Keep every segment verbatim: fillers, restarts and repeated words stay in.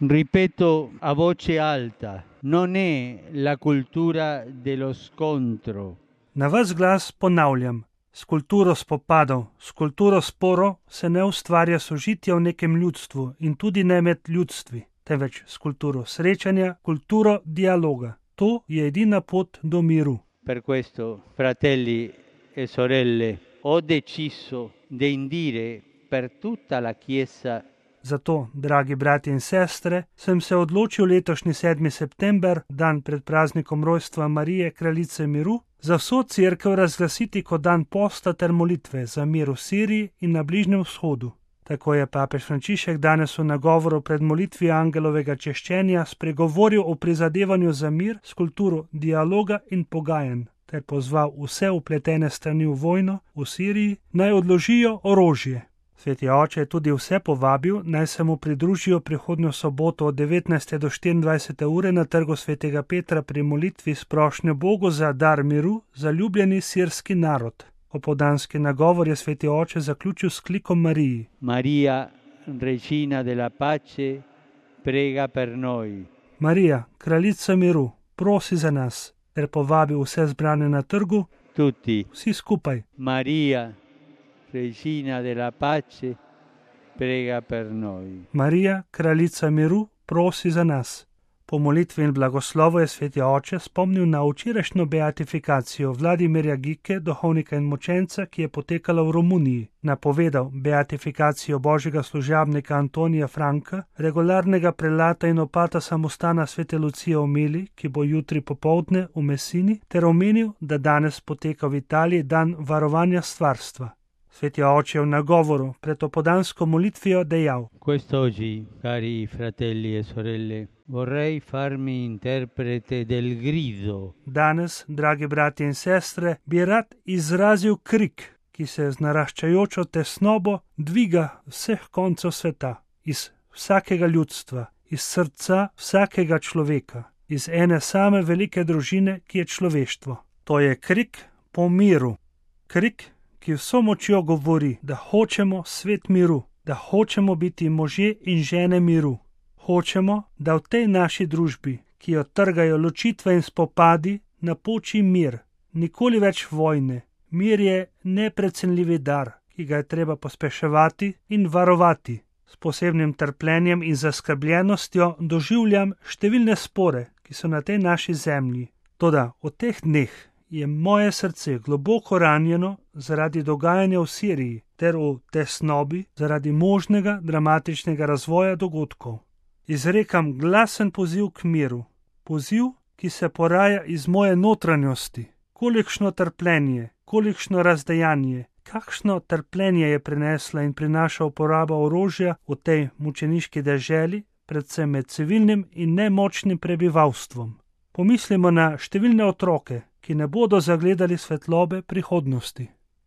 Ripeto a voce alta, non è la cultura dello scontro. Na ves glas ponavljam, s kulturo spopadov, s kulturo sporov se ne ustvarja sožitje v nekem ljudstvu in tudi ne med ljudstvi, temveč s kulturo srečanja, kulturo dialoga. To je edina pot do miru. Per questo, fratelli e sorelle, ho deciso di indire per tutta la Chiesa. Zato, dragi brati in sestre, sem se odločil letošnji sedmi september, dan pred praznikom rojstva Marije, kraljice miru, za vso cerkev razglasiti kot dan posta ter molitve za mir v Siriji in na Bližnjem vzhodu. Tako je papež Frančišek danes v nagovoru pred molitvijo angelovega češčenja spregovoril o prizadevanju za mir s kulturo dialoga in pogajanj, ter pozval vse vpletene strani v vojno v Siriji, naj odložijo orožje. Sveti oče je tudi vse povabil, naj se mu pridružijo prihodnjo soboto od devetnajste do štiriindvajsete ure na trgu svetega Petra pri molitvi s prošnjo Bogu za dar miru za ljubljeni sirski narod. Opoldanski nagovor je sveti oče zaključil s klikom Mariji. Maria, regina della pace, prega per noi. Marija, kraljica miru, prosi za nas, ter povabil vse zbrane na trgu, Tutti. vsi skupaj. Maria, regina della pace, prega per noi. Marija, kraljica miru, prosi za nas. Po molitvi in blagoslovu je sveti oče spomnil na včerajšnjo beatifikacijo Vladimirja Gike, duhovnika in mučenca, ki je potekala v Romuniji. Napovedal beatifikacijo božjega služabnika Antonija Franka, regularnega prelata in opata samostana svete Lucije v Mili, ki bo jutri popoldne v Messini, ter omenil, da danes poteka v Italiji dan varovanja stvarstva. Sveti oče je v nagovoru pred opoldansko molitvijo dejal: Quest'oggi, cari fratelli e sorelle, vorrei farmi interprete del grido. Danes, dragi brati in sestre, bi rad izrazil krik, ki se z naraščajočo tesnobo dviga vseh koncev sveta, iz vsakega ljudstva, iz srca vsakega človeka, iz ene same velike družine, ki je človeštvo. To je krik po miru, krik, ki vso močjo govori, da hočemo svet miru, da hočemo biti možje in žene miru. Hočemo, da v tej naši družbi, ki jo trgajo ločitve in spopadi, napoči mir, nikoli več vojne. Mir je neprecenljivi dar, ki ga je treba pospeševati in varovati. S posebnim trpljenjem in zaskrbljenostjo doživljam številne spore, ki so na tej naši zemlji. Toda v teh dneh je moje srce globoko ranjeno zaradi dogajanja v Siriji ter v tesnobi zaradi možnega dramatičnega razvoja dogodkov. Izrekam glasen poziv k miru, poziv, ki se poraja iz moje notranjosti. Kolikšno trpljenje, kolikšno razdejanje, kakšno trpljenje je prinesla in prinaša uporaba orožja v tej mučeniški deželi, predvsem med civilnim in nemočnim prebivalstvom. Pomislimo na številne otroke, ki ne bodo zagledali svetlobe prihodnosti.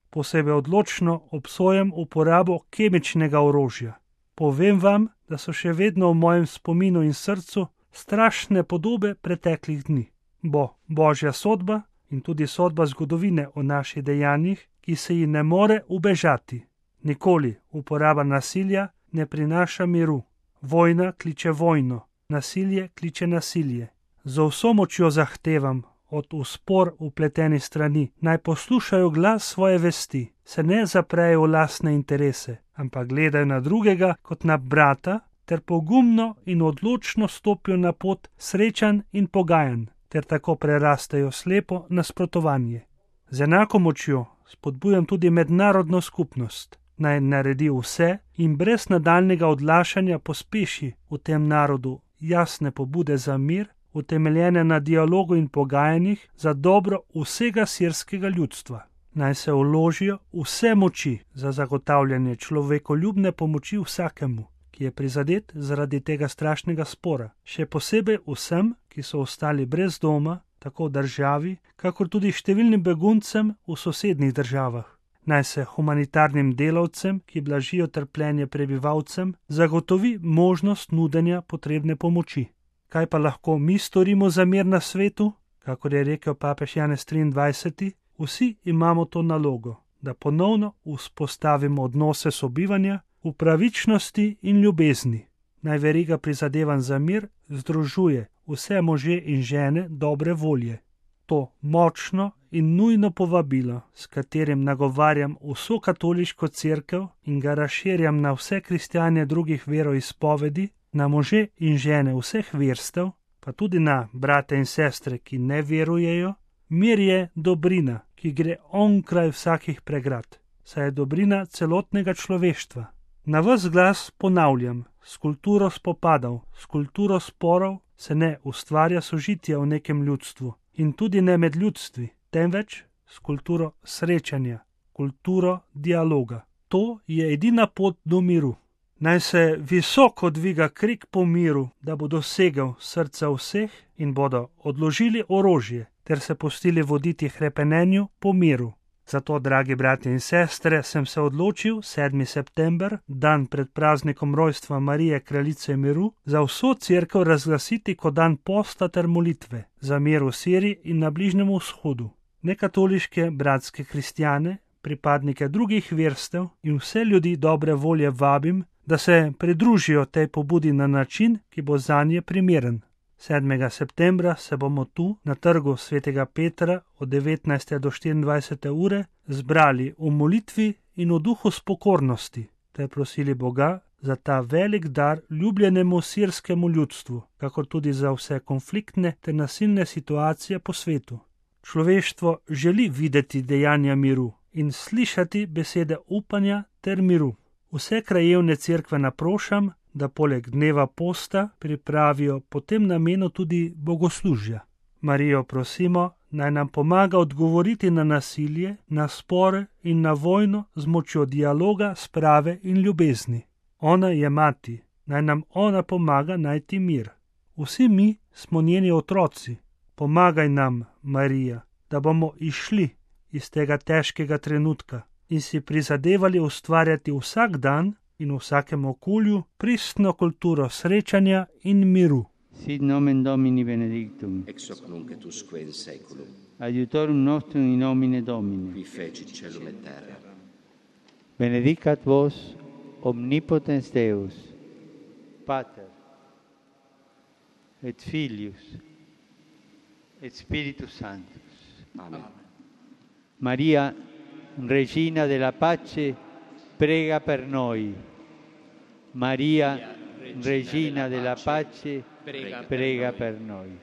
Posebej odločno obsojam uporabo kemičnega orožja. Povem vam, da so še vedno v mojem spominu in srcu strašne podobe preteklih dni. Bo božja sodba in tudi sodba zgodovine o naših dejanjih, ki se ji ne more ubežati. Nikoli uporaba nasilja ne prinaša miru. Vojna kliče vojno, nasilje kliče nasilje. Z vso močjo zahtevam od v spor vpleteni strani, naj poslušajo glas svoje vesti, se ne zaprejo v lastne interese, ampak gledajo na drugega kot na brata, ter pogumno in odločno stopijo na pot srečanj in pogajanj, ter tako prerastejo slepo nasprotovanje. Z enako močjo spodbujam tudi mednarodno skupnost, naj naredi vse in brez nadaljnega odlašanja pospeši v tem narodu jasne pobude za mir, utemeljene na dialogu in pogajanjih za dobro vsega sirskega ljudstva. Naj se vložijo vse moči za zagotavljanje človekoljubne pomoči vsakemu, ki je prizadet zaradi tega strašnega spora, še posebej vsem, ki so ostali brez doma, tako v državi, kakor tudi številnim beguncem v sosednjih državah. Naj se humanitarnim delavcem, ki blažijo trpljenje prebivalcem, zagotovi možnost nudenja potrebne pomoči. Kaj pa lahko mi storimo za mir na svetu? Kakor je rekel papež Janez triindvajseti, vsi imamo to nalogo, da ponovno vzpostavimo odnose sobivanja v pravičnosti in ljubezni. naj veriga prizadevanj za mir združuje vse može in žene dobre volje. To močno in nujno povabilo, s katerim nagovarjam vso katoliško cerkev in ga razširjam na vse kristjane drugih veroizpovedi, na može in žene vseh verstev, pa tudi na brate in sestre, ki ne verujejo. Mir je dobrina, ki gre onkraj vsakih pregrad, saj je dobrina celotnega človeštva. Na ves glas ponavljam, s kulturo spopadov, s kulturo sporov se ne ustvarja sožitja v nekem ljudstvu in tudi ne med ljudstvi, temveč s kulturo srečanja, kulturo dialoga. To je edina pot do miru. Naj se visoko dviga krik po miru, da bo dosegel srca vseh in bodo odložili orožje ter se pustili voditi hrepenenju po miru. Zato, dragi bratje in sestre, sem se odločil sedmi september, dan pred praznikom rojstva Marije Kraljice miru, za vso cerkev razglasiti kot dan posta ter molitve za mir v Siriji in na Bližnjem vzhodu. Nekatoliške bratske kristjane, pripadnike drugih verstev in vse ljudi dobre volje vabim, da se pridružijo tej pobudi na način, ki bo zanje primeren. sedmega septembra se bomo tu, na trgu svetega Petra, od devetnajste do štiriindvajsete ure, zbrali v molitvi in v duhu spokornosti, ter prosili Boga za ta velik dar ljubljenemu sirskemu ljudstvu, kakor tudi za vse konfliktne ter nasilne situacije po svetu. Človeštvo želi videti dejanja miru in slišati besede upanja ter miru. Vse krajevne cerkve naprošam, da poleg dneva posta pripravijo po tem namenu tudi bogoslužja. Marijo prosimo, naj nam pomaga odgovoriti na nasilje, na spore in na vojno z močjo dialoga, sprave in ljubezni. Ona je mati, naj nam ona pomaga najti mir. Vsi mi smo njeni otroci. Pomagaj nam, Marija, da bomo išli iz tega težkega trenutka in si prizadevali ustvarjati vsak dan in v vsakem okolju pristno kulturo srečanja in miru. Sit nomen Domini benedictum. Ex hoc nunc et usque in saeculum. Aiutorium nostrum in nomine Domini. Qui fecit caelum et terra. Benedicat vos omnipotens Deus, Pater, et Filius, et Spiritus Sanctus. Amen. Maria, Regina della Pace, prega per noi. Maria, Regina della Pace, prega per noi.